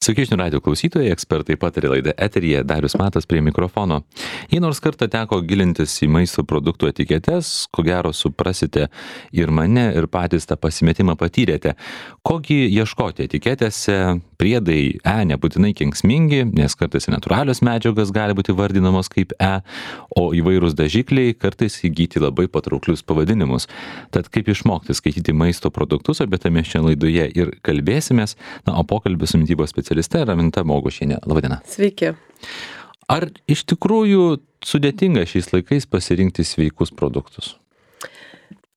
Sveiki, žinių radijo klausytojai, ekspertai patarė laidą eteryje, Darius Matas prie mikrofono. Jei nors kartą teko gilintis į maisto produktų etiketes, ko gero suprasite ir mane, ir patys tą pasimetimą patyrėte. Kogi ieškoti etiketėse, priedai nebūtinai kenksmingi, nes kartais natūralios medžiagos gali būti vardinamos kaip o įvairūs dažikliai kartais įgyti labai patrauklius pavadinimus. Tad kaip išmokti skaityti maisto produktus, apie tai mes šiandien laidoje ir kalbėsimės, o pokalbį su mitybos specialiste Raminta Mogušienė. Labadiena. Sveiki. Ar iš tikrųjų sudėtinga šiais laikais pasirinkti sveikus produktus?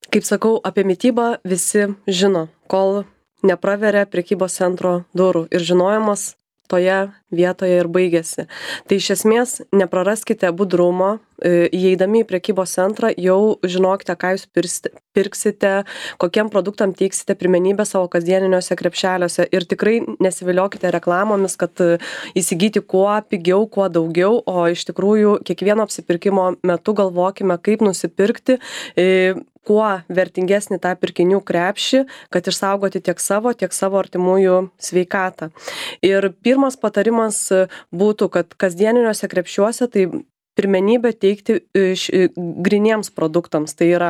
Kaip sakau, apie mitybą visi žino, kol nepraveria prekybos centro durų ir žinojimas toje vietoje ir baigėsi. Tai iš esmės nepraraskite budrumo, įeidami į prekybos centrą jau žinokite, ką jūs pirksite, kokiem produktam teiksite pirmenybę savo kasdieniniuose krepšeliuose ir tikrai nesiviliokite reklamomis, kad įsigyti kuo pigiau, kuo daugiau, o iš tikrųjų kiekvieno apsipirkimo metu galvokime, kaip nusipirkti kuo vertingesnį tą pirkinių krepšį, kad išsaugoti tiek savo artimųjų sveikatą. Ir pirmas patarimas būtų, kad kasdieniniuose krepšiuose tai pirmenybę teikti griniems produktams. Tai yra,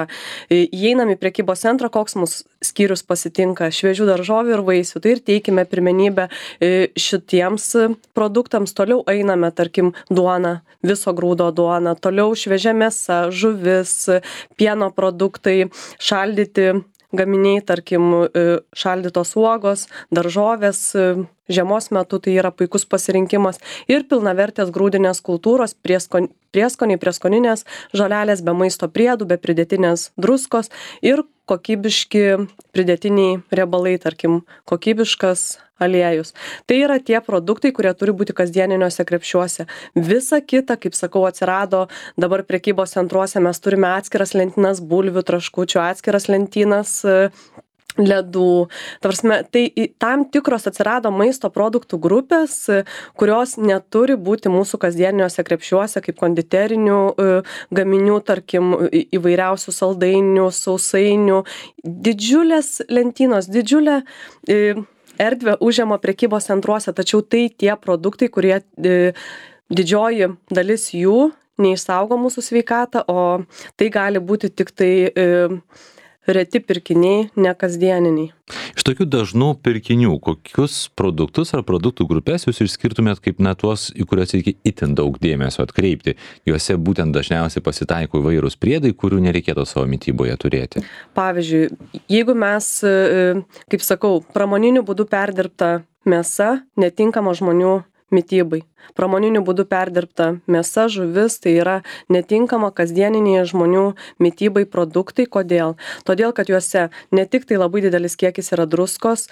įeinam į prekybos centrą, koks mūsų skyrius pasitinka, šviežių daržovių ir vaisių, tai ir teikime pirmenybę šitiems produktams. Toliau einame, tarkim, duona, viso grūdo duona, toliau šviežia mėsa, žuvis, pieno produktai, šaldyti gaminiai, tarkim, šaldytos uogos, daržovės, žiemos metu tai yra puikus pasirinkimas ir pilnavertės grūdinės kultūros, prieskoniai, prieskoninės žolelės be maisto priedų, be pridėtinės druskos ir kokybiški pridėtiniai riebalai, tarkim, kokybiškas aliejus. Tai yra tie produktai, kurie turi būti kasdieniniuose krepšiuose. Visa kita, kaip sakau, atsirado dabar prekybos centruose, mes turime atskiras lentynas bulvių, traškučių, atskiras lentynas ledų. Tai tam tikros atsirado maisto produktų grupės, kurios neturi būti mūsų kasdieniniuose krepšiuose, kaip konditerinių gaminių, tarkim, įvairiausių saldainių, sausainių. Didžiulės lentynos, didžiulė erdvė užima prekybos centruose, tačiau tai tie produktai, kurie didžioji dalis jų neišsaugo mūsų sveikatą, o tai gali būti tik tai reti pirkiniai, ne kasdieniniai. Iš tokių dažnų pirkinių, kokius produktus ar produktų grupės jūs išskirtumėt kaip tuos, į kuriuos reikia itin daug dėmesio atkreipti? Juose būtent dažniausiai pasitaiko įvairūs priedai, kurių nereikėtų savo mityboje turėti. Pavyzdžiui, jeigu mes, kaip sakau, pramoniniu būdu perdirbta mėsa netinkama žmonių mitybai. Pramoniniu būdu perdirbta mėsa, žuvis, tai yra netinkama kasdieniniai žmonių mitybai produktai. Kodėl? Todėl, kad juose ne tik tai labai didelis kiekis yra druskos,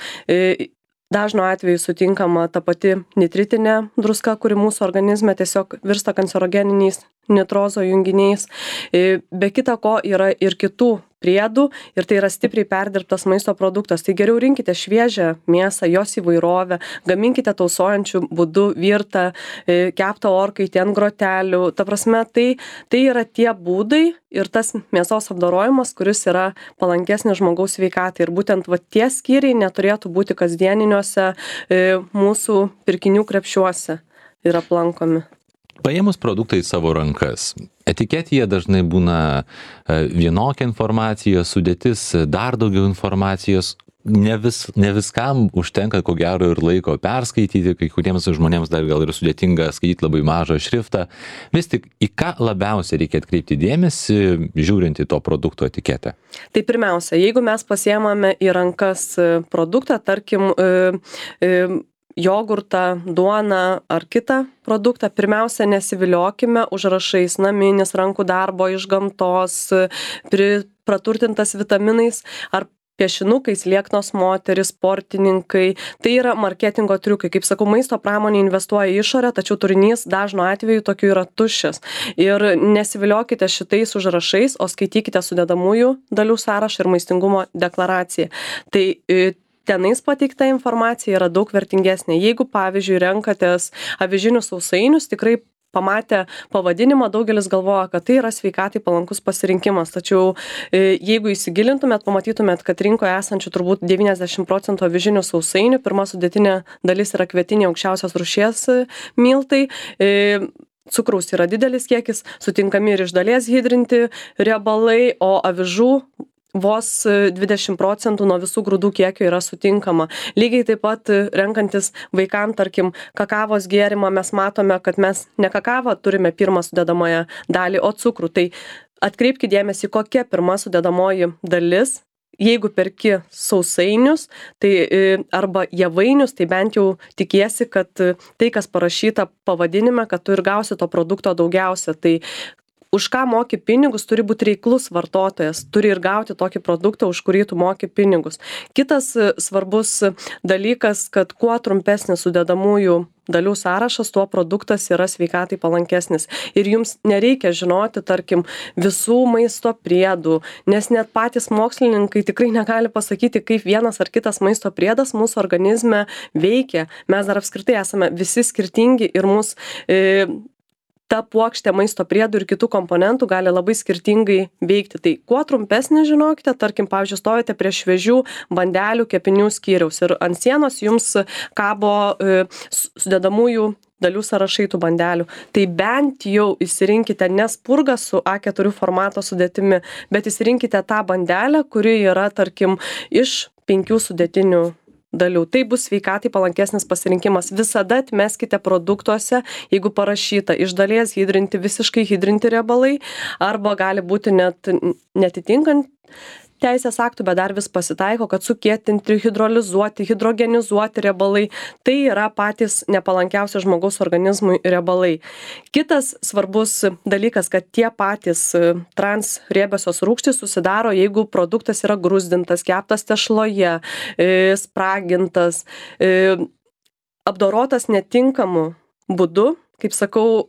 dažnu atveju sutinkama ta pati nitritinė druska, kuri mūsų organizme tiesiog virsta kancerogeniniais nitrozo junginiais. Be kita ko yra ir kitų priedų ir tai yra stipriai perdirbtas maisto produktas. Tai geriau rinkite šviežią mėsą, jos įvairovę, gaminkite tausojančių būdų virtą, keptą orkaitį ant grotelių. Ta prasme, tai yra tie būdai ir tas mėsos apdorojimas, kuris yra palankesnis žmogaus sveikatai. Ir būtent tie skyriai neturėtų būti kasdieniniuose mūsų pirkinių krepšiuose ir aplankomi. Paėmus produktą į savo rankas, etiketėje dažnai būna vienokia informacija, sudėtis dar daugiau informacijos. Ne viskam užtenka ko gero ir laiko perskaityti, kai kuriems žmonėms dar gal ir sudėtinga skaityti labai mažą šriftą. Vis tik, į ką labiausiai reikia atkreipti dėmesį, žiūrint į to produkto etiketę? Tai pirmiausia, jeigu mes pasiemame į rankas produktą, tarkim, jogurtą, duoną ar kitą produktą, pirmiausia nesiviliokime užrašais naminis, rankų darbo, iš gamtos, praturtintas vitaminais ar piešinukais, lieknos moterys, sportininkai. Tai yra marketingo triukai. Kaip sakau, maisto pramonė investuoja į išorę, tačiau turinys dažnu atveju tokiu yra tuščias. Ir nesiviliokite šitais užrašais, o skaitykite sudedamųjų dalių sąrašą ir maistingumo deklaraciją. Tai tenais pateikta informacija yra daug vertingesnė. Jeigu, pavyzdžiui, renkatės avižinius sausainius, tikrai pamatę pavadinimą, daugelis galvoja, kad tai yra sveikatai palankus pasirinkimas. Tačiau jeigu įsigilintumėt, pamatytumėt, kad rinkoje esančių turbūt 90% avižinių sausainių, pirma sudėtinė dalis yra kvietiniai aukščiausios rūšies miltai. Cukraus yra didelis kiekis, sutinkami ir iš dalies hidrinti riebalai, o avižų vos 20% nuo visų grūdų kiekio yra sutinkama. Lygiai taip pat renkantis vaikam, tarkim, kakavos gėrimą, mes matome, kad mes ne kakavą turime pirmą sudedamąją dalį, o cukrų. Tai atkreipkite dėmesį, kokia pirma sudedamoji dalis. Jeigu perki sausainius arba javainius, tai bent jau tikiesi, kad tai, kas parašyta pavadinime, kad tu ir gausi to produkto daugiausia. Tai už ką moki pinigus, turi būti reiklus vartotojas, turi ir gauti tokį produktą, už kurį tu moki pinigus. Kitas svarbus dalykas, kad kuo trumpesnis sudedamųjų dalių sąrašas, tuo produktas yra sveikatai palankesnis. Ir jums nereikia žinoti, tarkim, visų maisto priedų, nes net patys mokslininkai tikrai negali pasakyti, kaip vienas ar kitas maisto priedas mūsų organizme veikia. Mes dar apskritai esame visi skirtingi ir ta puokštė maisto priedų ir kitų komponentų gali labai skirtingai veikti. Tai kuo trumpesnį žinokite, tarkim, pavyzdžiui, stovite prie šviežių bandelių kepinių skyriaus ir ant sienos jums kabo sudedamųjų dalių sąrašai tų bandelių. Tai bent jau įsirinkite ne spurgą su A4 formato sudėtimi, bet įsirinkite tą bandelę, kuri yra, tarkim, iš 5 sudėtinių dalių. Tai bus sveikatai palankesnis pasirinkimas. Visada atmeskite produktuose, jeigu parašyta iš dalies hidrinti, visiškai hidrinti riebalai, arba gali būti net netitinkant teisės aktų, bet dar vis pasitaiko, kad sukietinti, hidrolizuoti, hidrogenizuoti riebalai. Tai yra patys nepalankiausi žmogaus organizmui riebalai. Kitas svarbus dalykas, kad tie patys transriebiosios rūgštys susidaro, jeigu produktas yra gruzdintas, keptas tešloje, spragintas, apdorotas netinkamu būdu. Kaip sakau,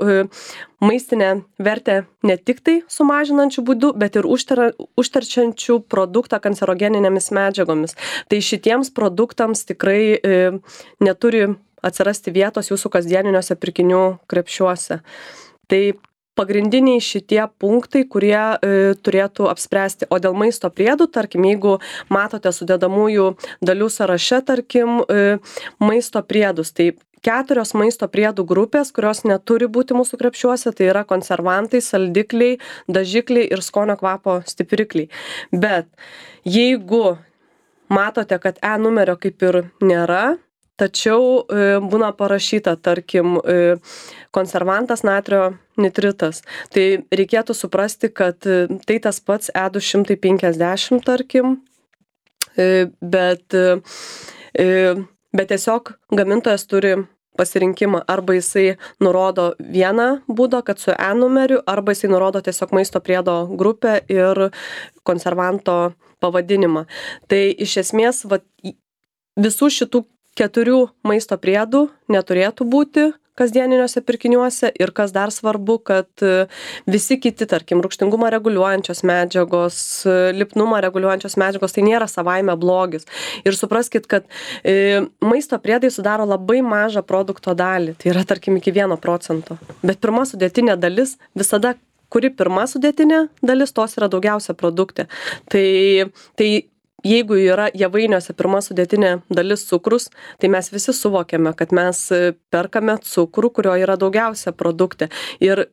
maistinę vertę ne tik tai sumažinančių būdų, bet ir užterčiančių produktą kancerogeninėmis medžiagomis. Tai šitiems produktams tikrai neturi atsirasti vietos jūsų kasdieniniuose pirkinių krepšiuose. Tai pagrindiniai šitie punktai, kurie turėtų apspręsti. O dėl maisto priedų, tarkim, jeigu matote sudedamųjų dalių sąraše, tarkim, maisto priedus, tai 4 maisto priedų grupės, kurios neturi būti mūsų krepšiuose, tai yra konservantai, saldikliai, dažikliai ir skonio kvapo stiprikliai. Bet jeigu matote, kad E numerio kaip ir nėra, tačiau būna parašyta, tarkim, konservantas natrio nitritas, tai reikėtų suprasti, kad tai tas pats E250, tarkim, bet tiesiog gamintojas turi pasirinkimą, arba jisai nurodo vieną būdą, kad su E numeriu, arba jisai nurodo tiesiog maisto priedo grupę ir konservanto pavadinimą. Tai iš esmės visų šitų 4 maisto priedų neturėtų būti kasdieniniuose pirkiniuose ir kas dar svarbu, kad visi kiti, tarkim, rūgštingumą reguliuojančios medžiagos, lipnumą reguliuojančios medžiagos, tai nėra savaime blogis. Ir supraskit, kad maisto priedai sudaro labai mažą produkto dalį, tai yra, tarkim, iki 1%. Bet pirma sudėtinė dalis visada, kuri pirma sudėtinė dalis, tos yra daugiausia produkte. Tai jeigu yra javainiuose pirma sudėtinė dalis cukrus, tai mes visi suvokiame, kad mes perkame cukrų, kurio yra daugiausia produkte. Ir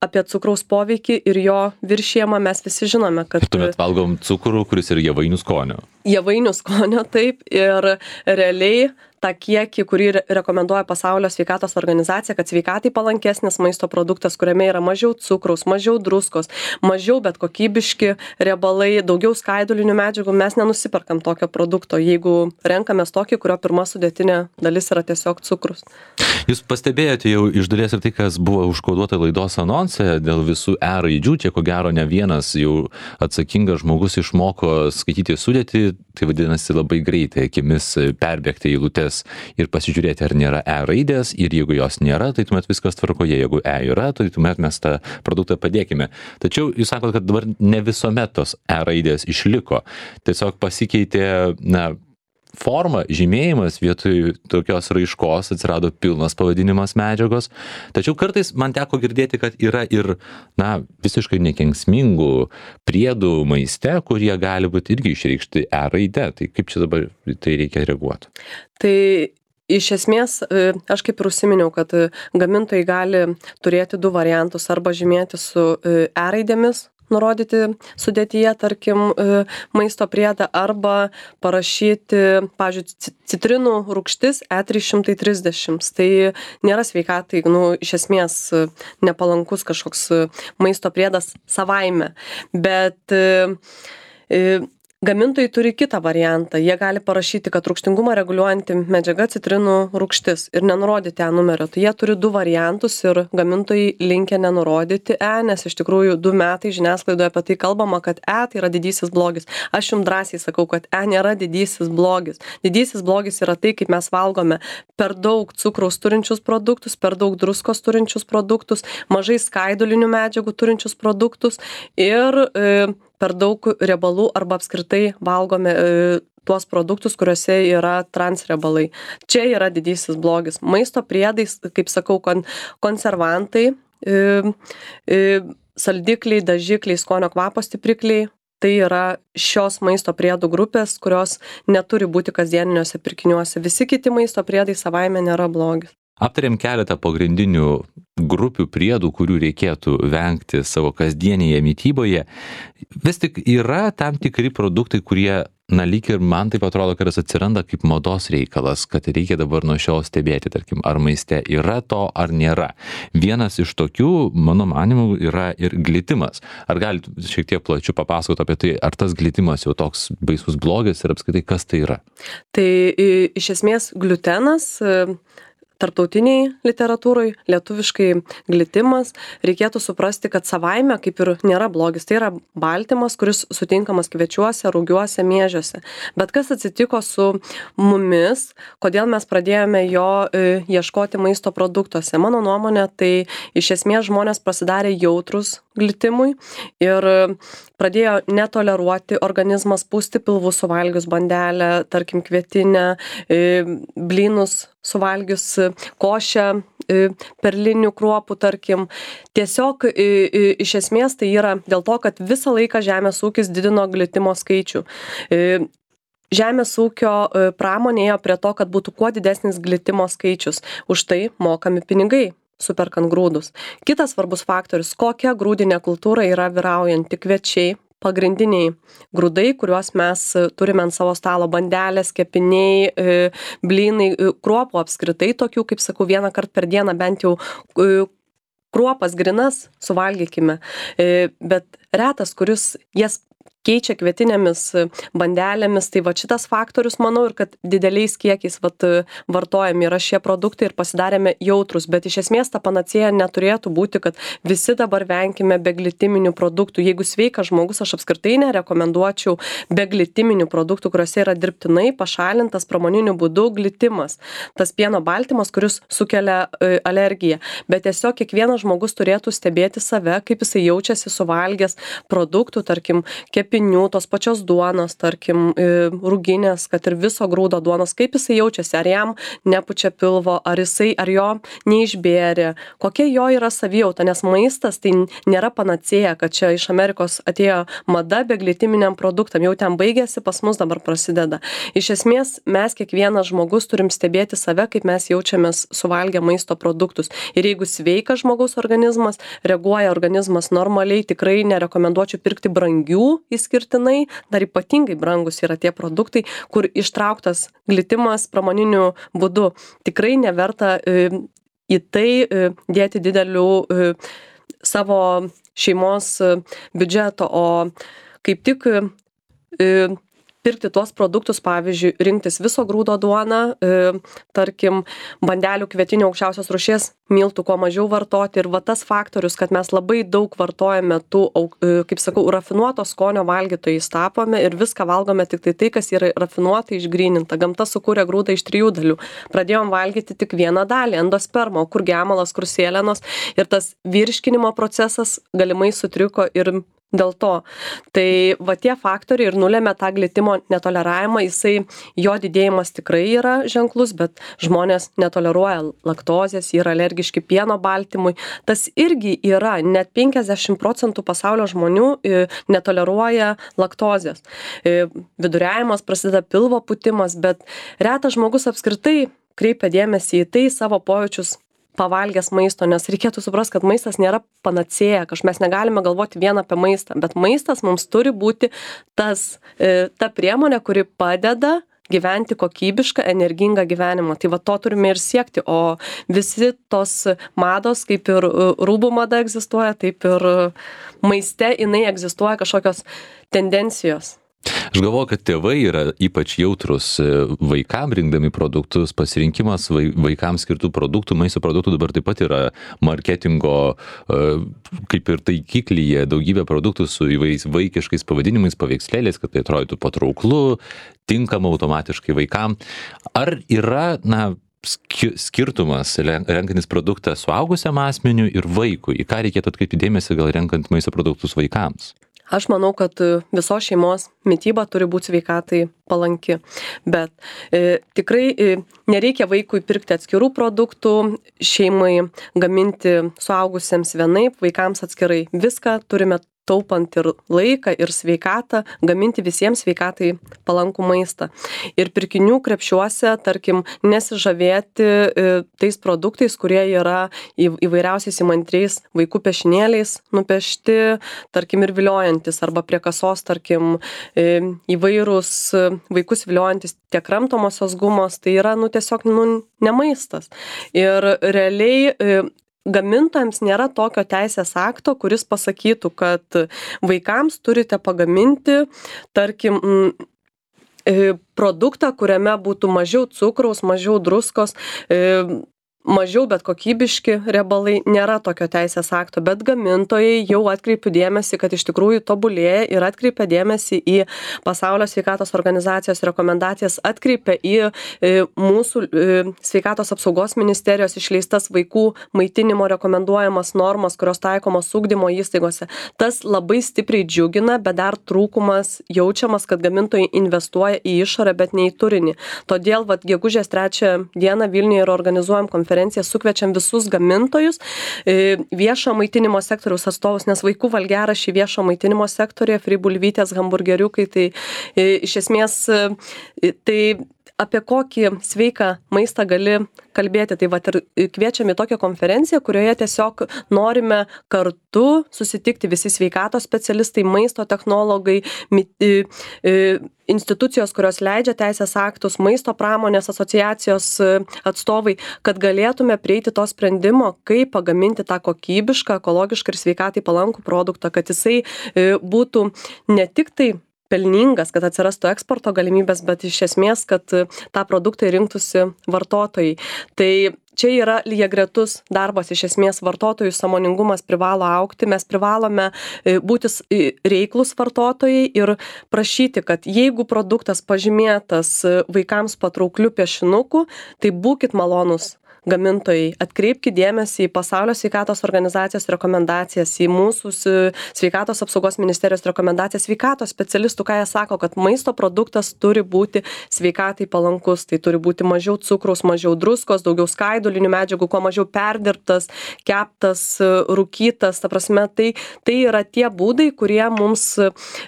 apie cukraus poveikį ir jo viršijimą mes visi žinome, kad... Tuomet valgom cukrų, kuris yra javainių skonio. Javainių skonio, taip. Ir realiai tą kiekį, kurį rekomenduoja Pasaulio sveikatos organizacija, kad sveikatai palankesnis maisto produktas, kuriame yra mažiau cukraus, mažiau druskos, mažiau bet kokybiški riebalai, daugiau skaidulinių medžiagų, mes nenusiperkam tokio produkto, jeigu renkamės tokį, kurio pirma sudėtinė dalis yra tiesiog cukrus. Jūs pastebėjote jau iš dalies ir tai, kas buvo užkoduota laidos anonse dėl visų E raidžių, čia ko gero ne vienas jau atsakingas žmogus išmoko skaityti sudėtį, tai vadinasi labai greitai akimis perbėgti eilutes ir pasižiūrėti, ar nėra E raidės, ir jeigu jos nėra, tai tuomet viskas tvarkoje, jeigu E yra, tai tuomet mes tą produktą padėkime. Tačiau jūs sakote, kad dabar ne visuomet tos E raidės išliko, tiesiog pasikeitė, forma, žymėjimas vietoj tokios raiškos atsirado pilnas pavadinimas medžiagos. Tačiau kartais man teko girdėti, kad yra ir, visiškai nekenksmingų priedų maiste, kurie gali būti irgi išreikšti E raide. Tai kaip čia dabar tai reikia reaguoti? Tai iš esmės, aš kaip ir užsiminiau, kad gamintojai gali turėti du variantus arba žymėti su E raidėmis, nurodyti sudėtyje, tarkim, maisto priedą arba parašyti, pavyzdžiui, citrinų rūgštis E330. Tai nėra sveikatai, iš esmės nepalankus kažkoks maisto priedas savaime. Bet gamintojai turi kitą variantą. Jie gali parašyti, kad rūgštingumą reguliuojanti medžiaga citrinų rūgštis ir nenurodyti E numerio. Tai jie turi du variantus ir gamintojai linkę nenurodyti E, nes iš tikrųjų 2 metai žiniasklaidoje apie tai kalbama, kad E tai yra didysis blogis. Aš jums drąsiai sakau, kad E nėra didysis blogis. Didysis blogis yra tai, kaip mes valgome per daug cukraus turinčius produktus, per daug druskos turinčius produktus, mažai skaidulinių medžiagų turinčius produktus ir per daug riebalų arba apskritai valgome tuos produktus, kuriuose yra transriebalai. Čia yra didysis blogis. Maisto priedais, kaip sakau, konservantai, saldikliai, dažikliai, skonio kvapo stiprikliai. Tai yra šios maisto priedų grupės, kurios neturi būti kasdieniniuose pirkiniuose. Visi kiti maisto priedai savaime nėra blogis. Aptarėm keletą pagrindinių grupių priedų, kurių reikėtų vengti savo kasdienėje mytyboje. Vis tik yra tam tikri produktai, kurie, lyg ir man taip atrodo, kad jis atsiranda kaip mados reikalas, kad reikia dabar nuo šiol stebėti, tarkim, ar maiste yra to, ar nėra. Vienas iš tokių, mano manimu, yra ir glitimas. Ar galite šiek tiek plačiau papasakoti apie tai, ar tas glitimas jau toks baisus blogis ir apskritai kas tai yra? Tai iš esmės gliutenas, tarptautiniai literatūrai, lietuviškai glitimas, reikėtų suprasti, kad savaime kaip ir nėra blogis. Tai yra baltymas, kuris sutinkamas kviečiuose, rūgiuose, miežiuose. Bet kas atsitiko su mumis, kodėl mes pradėjome jo ieškoti maisto produktuose? Mano nuomonė, tai iš esmės žmonės pasidarė jautrus glitimui ir pradėjo netoleruoti organizmas, pūsti pilvus suvalgius bandelę, tarkim kvietinę, blynus suvalgius, košę perlinių kruopų, tarkim. Tiesiog iš esmės tai yra dėl to, kad visą laiką žemės ūkis didino glitimo skaičių. Žemės ūkio pramonė ėjo prie to, kad būtų kuo didesnis glitimo skaičius. Už tai mokami pinigai, superkant grūdus. Kitas svarbus faktorius, kokia grūdinė kultūra yra vyraujanti: kviečiai, pagrindiniai grūdai, kuriuos mes turime ant savo stalo, bandelės, kepiniai, blynai, kruopų apskritai tokių, kaip sakau, vieną kartą per dieną bent jau kruopas grynas suvalgykime. Bet retas, kuris jas keičia kvietinėmis bandelėmis, tai va šitas faktorius, manau, ir kad dideliais kiekiais vartojami yra šie produktai ir pasidarėme jautrus, bet iš esmės ta panacėja neturėtų būti, kad visi dabar venkime beglitiminių produktų. Jeigu sveikas žmogus, aš apskritai nerekomenduočiau beglitiminių produktų, kuriuose yra dirbtinai pašalintas pramoniniu būdu glitimas. Tas pieno baltymas, kuris sukelia alergiją. Bet tiesiog kiekvienas žmogus turėtų stebėti save, kaip jisai jaučiasi suvalgęs produktų, tarkim, kepinių, tos pačios duonos, tarkim, rūginės, kad ir viso grūdo duonos, kaip jisai jaučiasi, ar jam nepučia pilvo, ar jo neišbėrė, kokia jo yra savijauta, nes maistas tai nėra panacėja, kad čia iš Amerikos atėjo mada beglitiminiam produktam, jau ten baigėsi, pas mus dabar prasideda. Iš esmės, mes kiekvienas žmogus turim stebėti save, kaip mes jaučiamės suvalgę maisto produktus. Ir jeigu sveikas žmogaus organizmas, reaguoja organizmas normaliai, tikrai nerekomenduočiau pirkti brangių išskirtinai, dar ypatingai brangus yra tie produktai, kur ištrauktas glitimas pramoniniu būdu. Tikrai neverta į tai dėti didelių savo šeimos biudžeto, o kaip tik pirkti tuos produktus, pavyzdžiui, rinktis viso grūdo duoną, tarkim, bandelių kvietinių aukščiausios rūšies miltų kuo mažiau vartoti. Ir va tas faktorius, kad mes labai daug vartojame tų, kaip sakau, rafinuoto skonio valgytojais tapome ir viską valgome tik tai, kas yra rafinuotai išgryninta. Gamta sukūrė grūdą iš 3 dalių. Pradėjom valgyti tik vieną dalį, endospermą, kur gemalas, kur sėlenos. Ir tas virškinimo procesas galimai sutriko ir dėl to. Tai va tie faktoriai ir nulėmė tą glitimo netoleravimą, jo didėjimas tikrai yra ženklus, bet žmonės netoleruoja laktozės, yra alergiški pieno baltymui. Tas irgi yra, net 50% pasaulio žmonių netoleruoja laktozės. Viduriavimas, prasideda pilvo pūtimas, bet retas žmogus apskritai kreipia dėmesį į tai savo pojūčius pavalgęs maisto, nes reikėtų suprasti, kad maistas nėra panacėja, mes negalime galvoti vien apie maistą, bet maistas mums turi būti ta priemonė, kuri padeda gyventi kokybišką, energingą gyvenimą. Tai va to turime ir siekti, o visi tos mados, kaip ir rūbų mada egzistuoja, taip ir maiste jinai egzistuoja kažkokios tendencijos. Aš galvoju, kad tėvai yra ypač jautrus vaikam rinkdami produktus, pasirinkimas vaikams skirtų produktų, maisto produktų dabar taip pat yra marketingo kaip ir taikiklyje, daugybė produktų su įvairiais vaikiškais pavadinimais, paveikslėliais, kad tai atrodytų patrauklu, tinkama automatiškai vaikam. Ar yra, skirtumas renkantis produktą suaugusiam asmeniui ir vaikui? Į ką reikėtų atkreipti dėmesį, gal renkant maisto produktus vaikams? Aš manau, kad visos šeimos mityba turi būti sveikatai palanki, bet tikrai nereikia vaikui pirkti atskirų produktų, šeimai gaminti suaugusiems vienaip, vaikams atskirai. Viską turime taupant ir laiką, ir sveikatą, gaminti visiems sveikatai palankų maistą. Ir pirkinių krepšiuose, tarkim, nesižavėti tais produktais, kurie yra įvairiausiais įmantriais vaikų piešinėliais nupiešti, tarkim, ir viliojantis, arba prie kasos, tarkim, įvairūs vaikus viliojantis tiek kramtomosios gumos, tai yra, tiesiog, ne maistas. Ir realiai gamintojams nėra tokio teisės akto, kuris pasakytų, kad vaikams turite pagaminti, tarkim, produktą, kuriame būtų mažiau cukraus, mažiau druskos, mažiau, bet kokybiški riebalai. Nėra tokio teisės akto, bet gamintojai jau atkreipia dėmesį, kad iš tikrųjų tobulėja ir atkreipia dėmesį į Pasaulio sveikatos organizacijos rekomendacijas, atkreipia į mūsų sveikatos apsaugos ministerijos išleistas vaikų maitinimo rekomenduojamas normas, kurios taikomos ugdymo įstaigose. Tas labai stipriai džiugina, bet dar trūkumas jaučiamas, kad gamintojai investuoja į išorę, bet ne į turinį. Todėl gegužės 3 dieną Vilniuje ir organizuojam konferenciją, sukviečiam visus gamintojus, viešo maitinimo sektoriaus atstovus, nes vaikų valgiaraščiai viešo maitinimo sektorėje, fribulvytės, hamburgeriukai, tai iš esmės tai apie kokį sveiką maistą gali kalbėti. Tai ir kviečiam į tokią konferenciją, kurioje tiesiog norime kartu susitikti visi sveikatos specialistai, maisto technologai, institucijos, kurios leidžia teisės aktus, maisto pramonės asociacijos atstovai, kad galėtume prieiti to sprendimo, kaip pagaminti tą kokybišką, ekologišką ir sveikatai palankų produktą, kad jisai būtų ne tik tai pelningas, kad atsirastų eksporto galimybės, bet iš esmės, kad tą produktą rinktųsi vartotojai. Tai čia yra lygiagretus darbas, iš esmės vartotojų sąmoningumas privalo augti, mes privalome būti reiklus vartotojai ir prašyti, kad jeigu produktas pažymėtas vaikams patraukliu piešinuku, tai būkit malonus gamintojai, atkreipkite dėmesį į Pasaulio sveikatos organizacijos rekomendacijas, į mūsų sveikatos apsaugos ministerijos rekomendacijas, sveikatos specialistų, ką jie sako, kad maisto produktas turi būti sveikatai palankus, tai turi būti mažiau cukraus, mažiau druskos, daugiau skaidulinių medžiagų, kuo mažiau perdirbtas, keptas, rūkytas, ta prasme, tai yra tie būdai, kurie mums,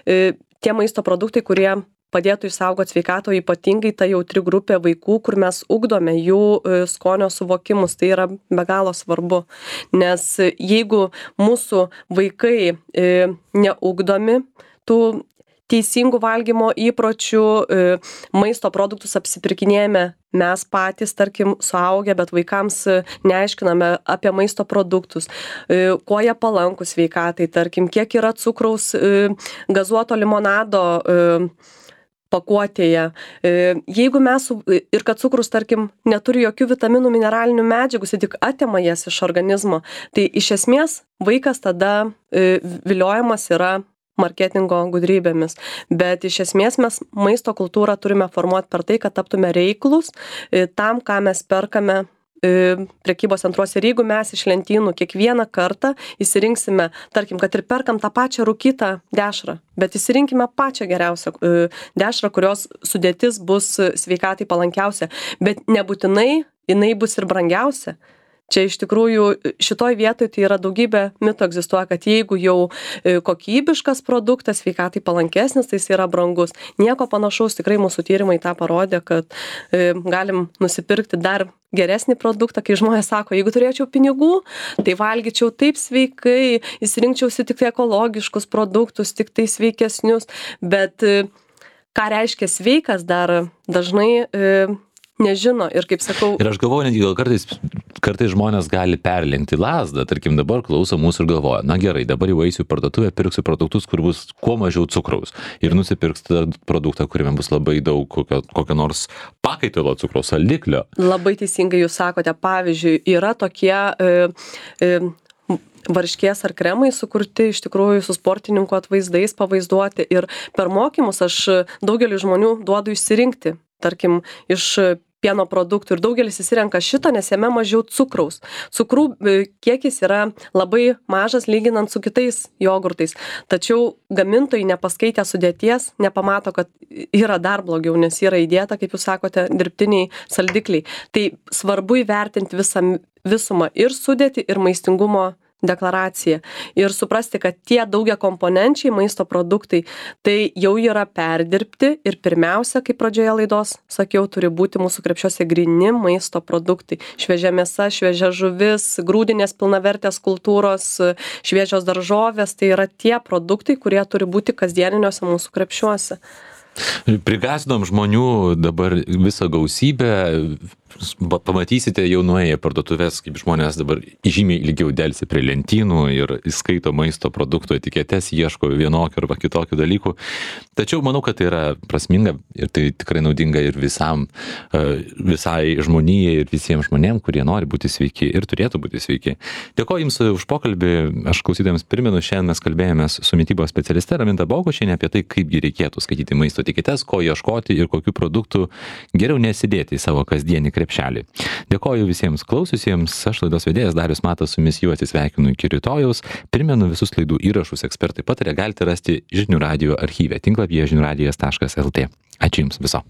tie maisto produktai, kurie padėtų išsaugoti sveikatą, ypatingai ta jautri grupė vaikų, kur mes ugdome jų skonio suvokimus. Tai yra be galo svarbu, nes jeigu mūsų vaikai neugdomi tų teisingų valgymo įpročių, maisto produktus apsipirkinėjame mes patys, tarkim, suaugę, bet vaikams neaiškiname apie maisto produktus, kuo jie palankūs sveikatai, tarkim, kiek yra cukraus gazuoto limonado pakuotėje. Jeigu mes, ir kad cukrus, tarkim, neturi jokių vitaminų, mineralinių medžiagų, jis tik atima jas iš organizmo, tai iš esmės vaikas tada viliojamas yra marketingo gudrybėmis. Bet iš esmės mes maisto kultūrą turime formuoti per tai, kad taptume reiklus tam, ką mes perkame prekybos centruose ir jeigu mes iš lentynų kiekvieną kartą išsirinksime, tarkim, kad ir perkam tą pačią rūkytą dešrą, bet išsirinkime pačią geriausią dešrą, kurios sudėtis bus sveikatai palankiausia, bet nebūtinai jinai bus ir brangiausia. Čia iš tikrųjų šitoj vietoj tai yra daugybė mitų egzistuoja, kad jeigu jau kokybiškas produktas, sveikatai palankesnis, tai jis yra brangus. Nieko panašaus, tikrai mūsų tyrimai tą parodė, kad galim nusipirkti dar geresnį produktą, kai žmonės sako, jeigu turėčiau pinigų, tai valgyčiau taip sveikai, įsirinkčiausi tik tai ekologiškus produktus, tik tai sveikesnius, bet ką reiškia sveikas dar dažnai nežino ir kaip sakau. Ir aš galvoju, netgi gal kartais žmonės gali perlenkti lazdą, tarkim dabar klauso mūsų ir galvoja, na gerai, dabar jau eisiu į parduotuvę, pirksiu produktus, kur bus kuo mažiau cukraus ir nusipirks tą produktą, kuriame bus labai daug kokio nors pakaitalo cukraus, saldiklio. Labai teisingai jūs sakote, pavyzdžiui, yra tokie varškės ar kremai sukurti iš tikrųjų su sportininkų atvaizdais pavaizduoti ir per mokymus aš daugeliu žmonių duodu išsirinkti, tarkim, iš pieno produktų ir daugelis įsirenka šitą, nes jame mažiau cukraus. Cukrų kiekis yra labai mažas lyginant su kitais jogurtais, tačiau gamintojai nepaskaitę sudėties nepamato, kad yra dar blogiau, nes yra įdėta, kaip jūs sakote, dirbtiniai saldikliai. Tai svarbu įvertinti visumą ir sudėtį, ir maistingumo deklaraciją ir suprasti, kad tie daugiakomponenčiai maisto produktai tai jau yra perdirbti ir pirmiausia, kaip pradžioje laidos sakiau, turi būti mūsų krepšiuose gryni maisto produktai. Šviežia mėsa, šviežia žuvis, grūdinės pilnavertės kultūros, šviežios daržovės, tai yra tie produktai, kurie turi būti kasdieniniuose mūsų krepšiuose. Prigąsdinom žmonių dabar visą gausybę, pamatysite jau nuėję parduotuvės, kaip žmonės dabar žymiai ilgiau delsia prie lentynų ir įskaito maisto produktų etiketes, ieško vienokių arba kitokių dalykų. Tačiau manau, kad tai yra prasminga ir tai tikrai naudinga ir visai žmonijai ir visiems žmonėms, kurie nori būti sveiki ir turėtų būti sveiki. Dėkoju Jums už pokalbį. Aš klausytojams primenu, šiandien mes kalbėjomės su mitybos specialiste Raminta Bogušienė apie tai, kaipgi reikėtų skaityti maisto etiketes, ko ieškoti ir kokių produktų geriau nesidėti į savo kasdienį krepšelį. Dėkoju visiems klausiusiems, aš laidos vedėjas Darius Matas, su jumis jau atsisveikinu iki rytojaus. Primenu, visus laidų įrašus Ekspertai pataria galite rasti Žinių radijo archyve tinklapyje žiniųradijas.lt. Ačiū Jums viso.